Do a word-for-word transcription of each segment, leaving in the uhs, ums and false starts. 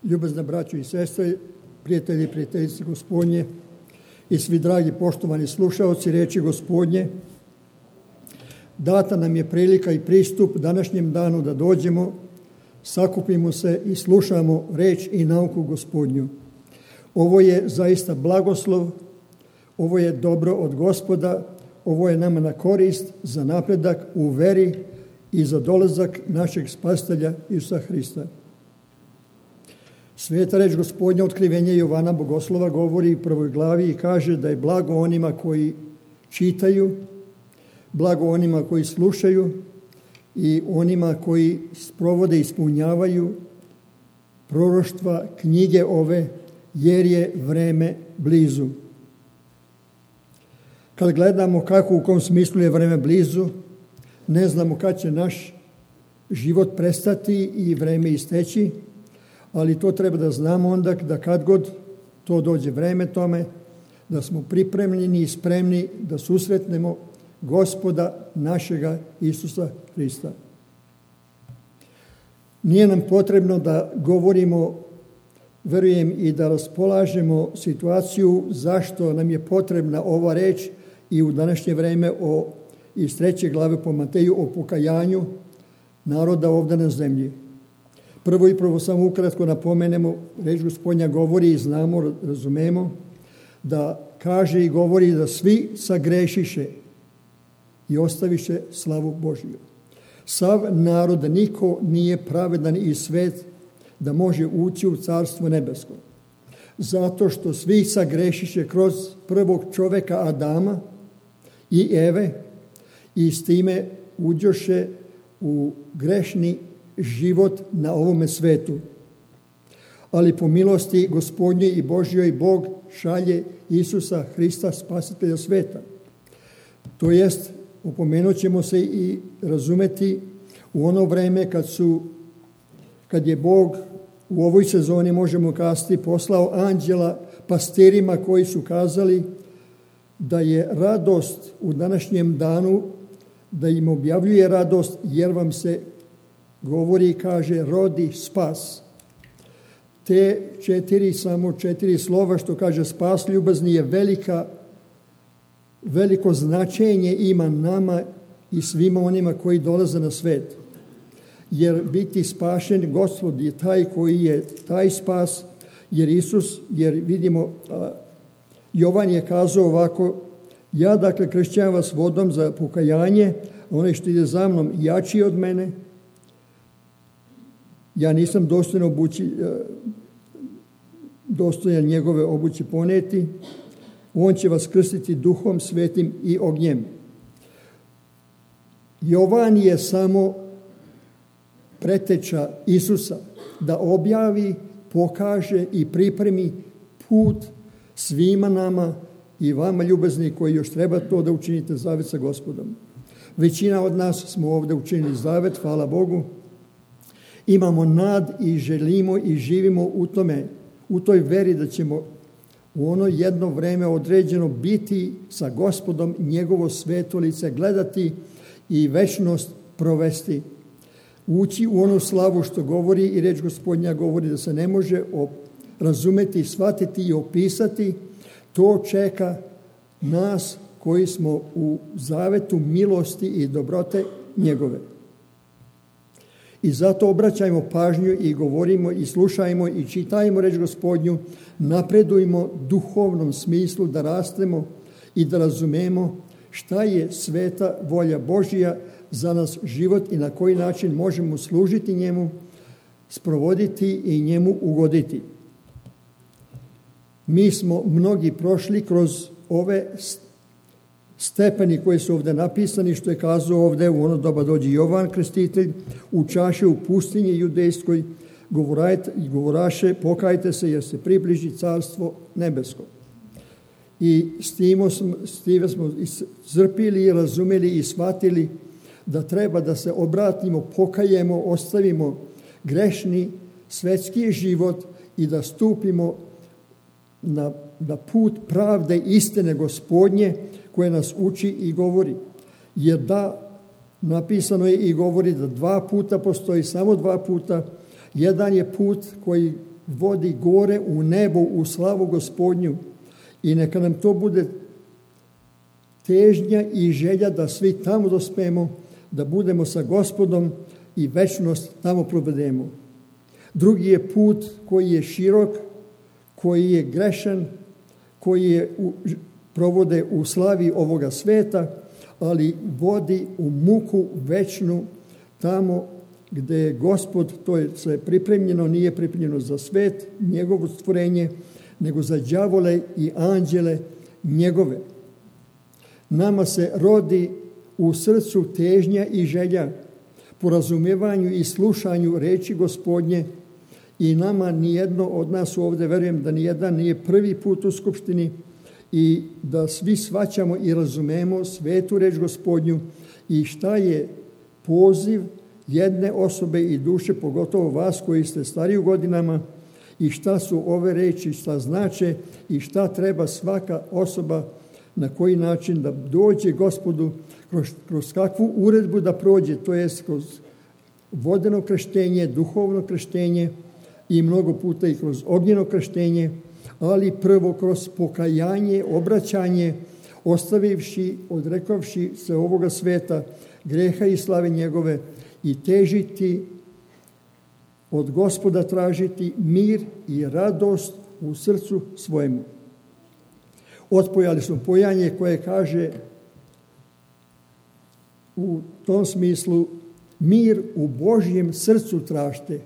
Ljubazna braćo i sestre, prijatelji i prijateljice Gospodnje i svi dragi poštovani slušaoci riječi Gospodnje, data nam je prilika i pristup današnjem danu da dođemo, sakupimo se i slušamo reč i nauku Gospodnju. Ovo je zaista blagoslov, ovo je dobro od Gospoda, ovo je nama na korist za napredak u veri i za dolazak našeg Spasitelja Isusa Hrista. Sveta reč Gospodnja, otkrivenje Jovana Bogoslova, govori u prvoj glavi i kaže da je blago onima koji čitaju, blago onima koji slušaju i onima koji sprovode i ispunjavaju proroštva knjige ove, jer je vreme blizu. Kad gledamo kako, u kom smislu je vreme blizu, ne znamo kad će naš život prestati i vreme isteći, ali to treba da znamo onda da kad god to dođe vreme tome, da smo pripremljeni i spremni da susretnemo Gospoda našega Isusa Hrista. Nije nam potrebno da govorimo, verujem, i da raspolažemo situaciju zašto nam je potrebna ova reč i u današnje vreme o, iz treće glave po Mateju o pokajanju naroda ovdje na zemlji. Prvo i prvo samo ukratko napomenemo, reč Gospodnja govori i znamo, razumemo, da kaže i govori da svi sagrešiše i ostaviše slavu Božiju. Sav narod, niko nije pravedan i svet da može ući u carstvo nebesko. Zato što svi sagrešiše kroz prvog čoveka Adama i Eve i s time uđoše u grešni život na ovome svetu. Ali po milosti Gospodnje i Božjoj Bog šalje Isusa Hrista, spasitelja sveta. To jest, upomenut ćemo se i razumeti u ono vreme kad su, kad je Bog u ovoj sezoni, možemo kazati, poslao anđela pastirima koji su kazali da je radost u današnjem danu, da im objavljuje radost jer vam se govori i kaže rodi spas. Te četiri, samo četiri slova što kaže spas ljubazni je velika, veliko značenje ima nama i svima onima koji dolaze na svet. Jer biti spašen, Gospod je taj koji je taj spas, jer Isus, jer vidimo, a, Jovan je kazao ovako, ja dakle kršćam vas vodom za pokajanje, onaj što ide za mnom jači od mene, ja nisam dostojan obući, dostojan njegove obući poneti, on će vas krstiti duhom svetim i ognjem. Jovan je samo preteča Isusa da objavi, pokaže i pripremi put svima nama i vama ljubazni koji još treba to da učinite zavet sa Gospodom. Većina od nas smo ovdje učinili zavet, hvala Bogu. Imamo nad i želimo i živimo u tome, u toj veri da ćemo u ono jedno vreme određeno biti sa Gospodom, njegovo sveto lice gledati i večnost provesti. Ući u onu slavu što govori i reč Gospodnja govori da se ne može razumeti, shvatiti i opisati. To čeka nas koji smo u zavetu milosti i dobrote njegove. I zato obraćajmo pažnju i govorimo i slušajmo i čitajmo reč Gospodnju, napredujmo duhovnom smislu da rastemo i da razumemo šta je sveta volja Božja za nas život i na koji način možemo služiti njemu, sprovoditi i njemu ugoditi. Mi smo mnogi prošli kroz ove stepeni koji su ovdje napisani, što je kazao ovdje u ono doba dođe Jovan Krstitelj, u čaše u pustinji judejskoj, i govoraše, pokajte se jer se približi carstvo nebesko. I s time smo, s time smo zrpili, razumeli i shvatili da treba da se obratimo, pokajemo, ostavimo grešni svetski život i da stupimo na, na put pravde istine Gospodnje koje nas uči i govori. Jer da, napisano je i govori da dva puta postoji, samo dva puta. Jedan je put koji vodi gore u nebo u slavu Gospodnju i neka nam to bude težnja i želja da svi tamo dospemo, da budemo sa Gospodom i večnost tamo provedemo. Drugi je put koji je širok, koji je grešan, koji je u, provode u slavi ovoga sveta, ali vodi u muku večnu tamo gdje je Gospod, to je sve pripremljeno, nije pripremljeno za svet, njegovo stvorenje, nego za đavole i anđele njegove. Nama se rodi u srcu težnja i želja po razumijevanju i slušanju reči Gospodnje i nama nijedno od nas ovdje, verujem da nijedan nije prvi put u skupštini i da svi shvaćamo i razumemo svetu reč Gospodnju i šta je poziv jedne osobe i duše, pogotovo vas koji ste stariji u godinama, i šta su ove reči, šta znače i šta treba svaka osoba na koji način da dođe Gospodu, kroz, kroz kakvu uredbu da prođe, to jest kroz vodeno krštenje, duhovno krštenje i mnogo puta i kroz ognjeno krštenje, ali prvo kroz pokajanje, obraćanje, ostavivši, odrekavši se ovoga sveta, greha i slave njegove i težiti od Gospoda tražiti mir i radost u srcu svojemu. Otpojali smo pojanje koje kaže u tom smislu mir u Božjem srcu tražite,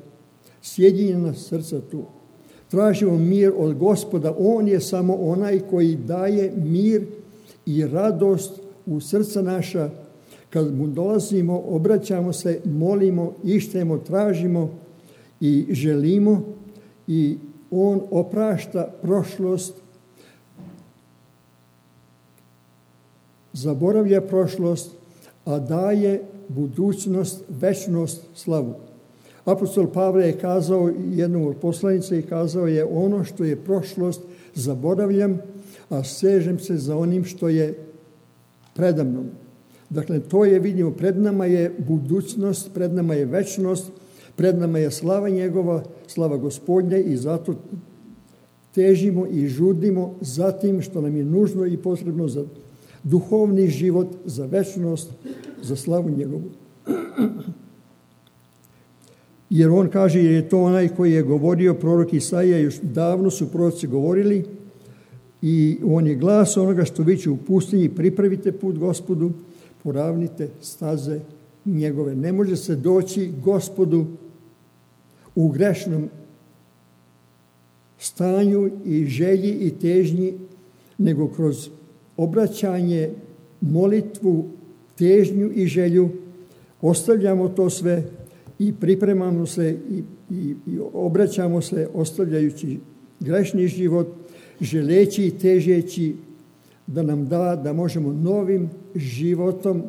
sjedinjena srca tu. Tražimo mir od Gospoda, on je samo onaj koji daje mir i radost u srca naša. Kad mu dolazimo, obraćamo se, molimo, ištemo, tražimo i želimo i on oprašta prošlost, zaboravlja prošlost, a daje budućnost, večnost, slavu. Apostol Pavle je kazao jednom od poslanica i kazao je ono što je prošlost zaboravljam, a sežem se za onim što je predamnom. Dakle, to je, vidimo, pred nama je budućnost, pred nama je večnost, pred nama je slava njegova, slava Gospodnja i zato težimo i žudimo za tim što nam je nužno i potrebno za duhovni život, za večnost, za slavu njegovu. Jer on kaže, jer je to onaj koji je govorio prorok Isaija, još davno su proroci govorili i on je glas onoga što viče u pustinji, pripravite put Gospodu, poravnite staze njegove. Ne može se doći Gospodu u grešnom stanju i želji i težnji, nego kroz obraćanje, molitvu, težnju i želju, ostavljamo to sve i pripremamo se i, i, i obraćamo se ostavljajući grešni život, želeći i težeći da nam da, da možemo novim životom,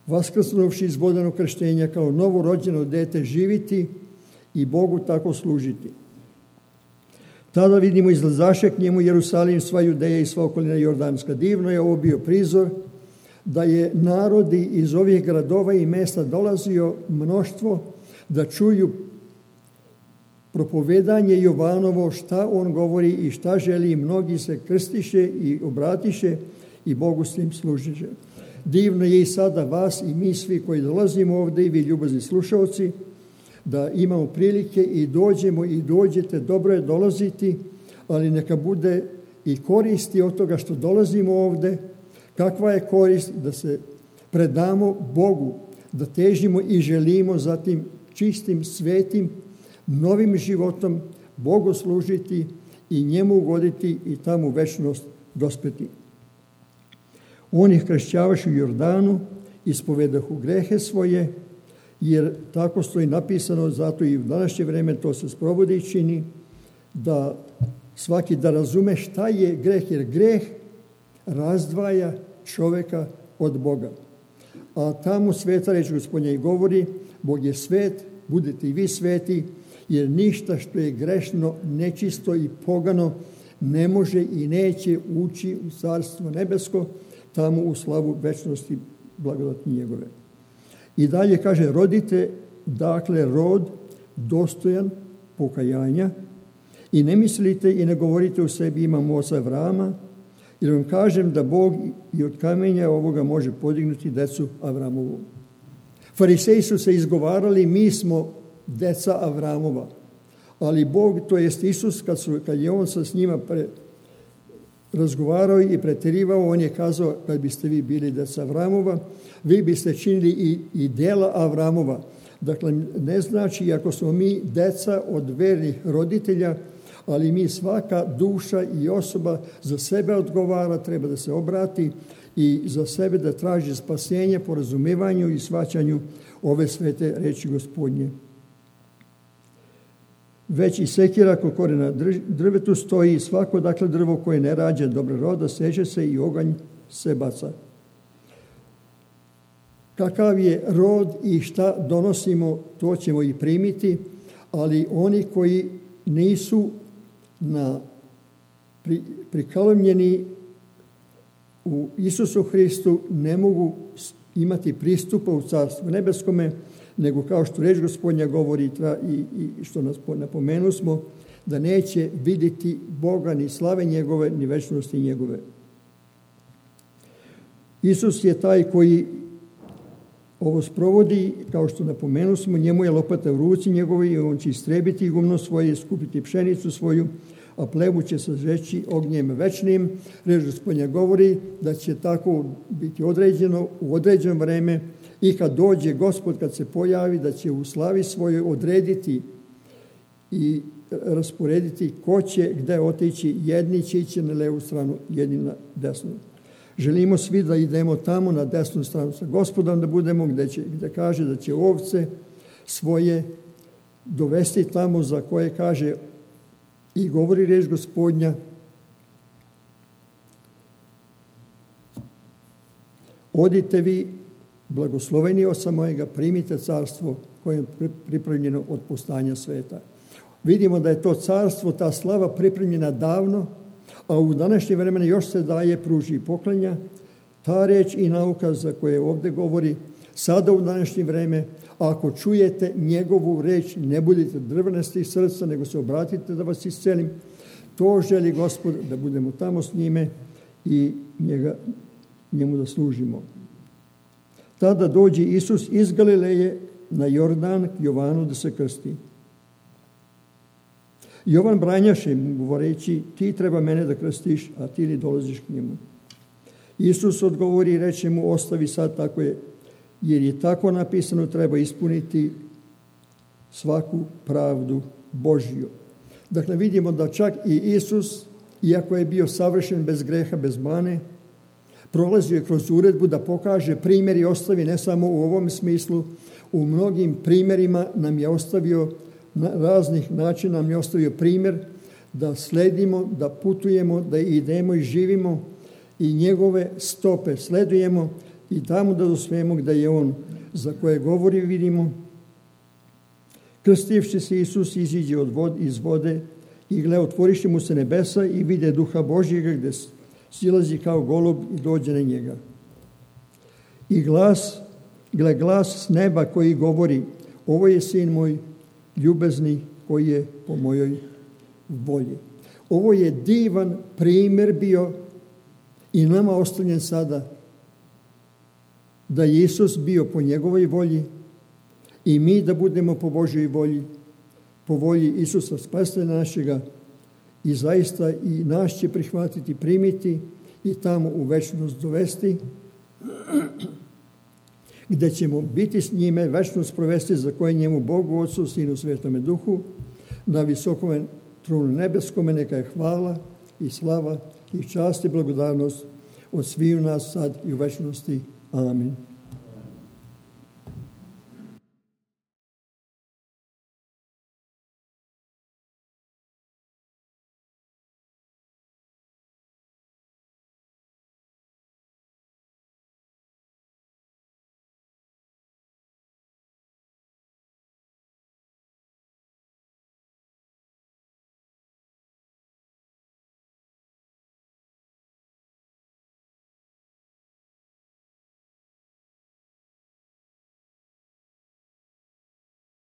vaskrsnuvši iz vodenog krštenja kao novorođeno dete, živiti i Bogu tako služiti. Tada vidimo izlazaše k njemu Jerusalim, sva Judeja i sva okolina Jordanska. Divno je ovo bio prizor da je narodi iz ovih gradova i mesta dolazio mnoštvo da čuju propovedanje Jovanovo, šta on govori i šta želi. Mnogi se krstiše i obratiše i Bogu s tim služiše. Divno je i sada vas i mi svi koji dolazimo ovdje i vi ljubazni slušalci, da imamo prilike i dođemo i dođete, dobro je dolaziti, ali neka bude i koristi od toga što dolazimo ovdje. Kakva je korist da se predamo Bogu, da težimo i želimo za tim čistim, svetim, novim životom Bogu služiti i njemu ugoditi i tamo večnost dospeti. On ih kršćavaš u Jordanu, ispovedahu grehe svoje, jer tako stoji napisano, zato i u današnje vrijeme to se sprovodi i čini, da svaki da razume šta je greh, jer greh razdvaja čovjeka od Boga. A tamo sveta reč Gospodnja i govori, Bog je svet, budete i vi sveti, jer ništa što je grešno, nečisto i pogano ne može i neće ući u carstvo nebesko, tamo u slavu večnosti blagodati njegove. I dalje kaže, rodite, dakle, rod dostojan pokajanja i ne mislite i ne govorite u sebi imam oca Avrama, jer vam kažem da Bog i od kamenja ovoga može podignuti decu Avramovu. Fariseji su se izgovarali, mi smo deca Avramova, ali Bog, to jest Isus, kad, su, kad je on sa s njima pre, razgovarao i preterivao, on je kazao, kad biste vi bili deca Avramova, vi biste činili i, i dela Avramova. Dakle, ne znači, ako smo mi deca od vernih roditelja, ali mi svaka duša i osoba za sebe odgovara, treba da se obrati i za sebe da traži spasenje po razumijevanju i shvaćanju ove svete reči Gospodnje. Već i sekira kod korena drvetu stoji, svako dakle drvo koje ne rađa dobro roda, seže se i oganj se baca. Kakav je rod i šta donosimo, to ćemo i primiti, ali oni koji nisu na pri, prikalemljeni u Isusu Hristu ne mogu imati pristupa u Carstvu nebeskome, nego kao što reč Gospodnja govori i, i što nas napomenu smo, da neće vidjeti Boga ni slave njegove, ni večnosti njegove. Isus je taj koji ovo sprovodi, kao što napomenu smo, njemu je lopata u ruci njegovoj i on će istrebiti gumno svoje, skupiti pšenicu svoju, a plevu će se žeći ognjem večnim. Reč Gospodnja govori da će tako biti određeno u određeno vreme i kad dođe Gospod, kad se pojavi, da će u slavi svojoj odrediti i rasporediti ko će gde otići. Jedni će ići na levu stranu, jedni na desnu. Želimo svi da idemo tamo na desnu stranu sa Gospodom, da budemo gde, će, gde kaže da će ovce svoje dovesti tamo za koje kaže i govori reč Gospodnja. Odite vi, blagosloveni oca mojega, primite carstvo koje je pripremljeno od postanja sveta. Vidimo da je to carstvo, ta slava pripremljena davno, a u današnje vremena još se daje, pruži i poklanja. Ta reč i nauka za koje ovdje govori, sada u današnje vreme, ako čujete njegovu reč, ne budite drvenasti srca, nego se obratite da vas iscelim. To želi Gospod, da budemo tamo s njime i njega, njemu da služimo. Tada dođe Isus iz Galileje na Jordan k Jovanu da se krsti. Jovan branjaše mu govoreći, ti treba mene da krstiš, a ti li dolaziš k njemu. Isus odgovori i reče mu, ostavi sad tako je, jer je tako napisano, treba ispuniti svaku pravdu Božju. Dakle, vidimo da čak i Isus, iako je bio savršen bez greha, bez mane, prolazio je kroz uredbu da pokaže primjer i ostavi ne samo u ovom smislu, u mnogim primjerima nam je ostavio, na raznih načina nam je ostavio primjer da sledimo, da putujemo, da idemo i živimo i njegove stope sledujemo i tamo da dospijemo gdje je on za koje govori vidimo. Krstivši se Isus iziđe od vod, iz vode i gle, otvoriše mu se nebesa i vide duha Božjega gdje silazi kao golub i dođe na njega. I glas, gle, glas s neba koji govori, ovo je sin moj ljubezni koji je po mojoj volji. Ovo je divan primjer bio i nama ostavljen sada da je Isus bio po njegovoj volji i mi da budemo po Božjoj volji, po volji Isusa spasitelja našega i zaista i nas će prihvatiti, primiti i tamo u večnost dovesti gdje ćemo biti s njime, večnost provesti za koje njemu Bogu, Otcu, Sinu, Svetome Duhu, na visokome tronu nebeskome neka je hvala i slava i čast i blagodarnost od sviju nas sad i u večnosti. Amin.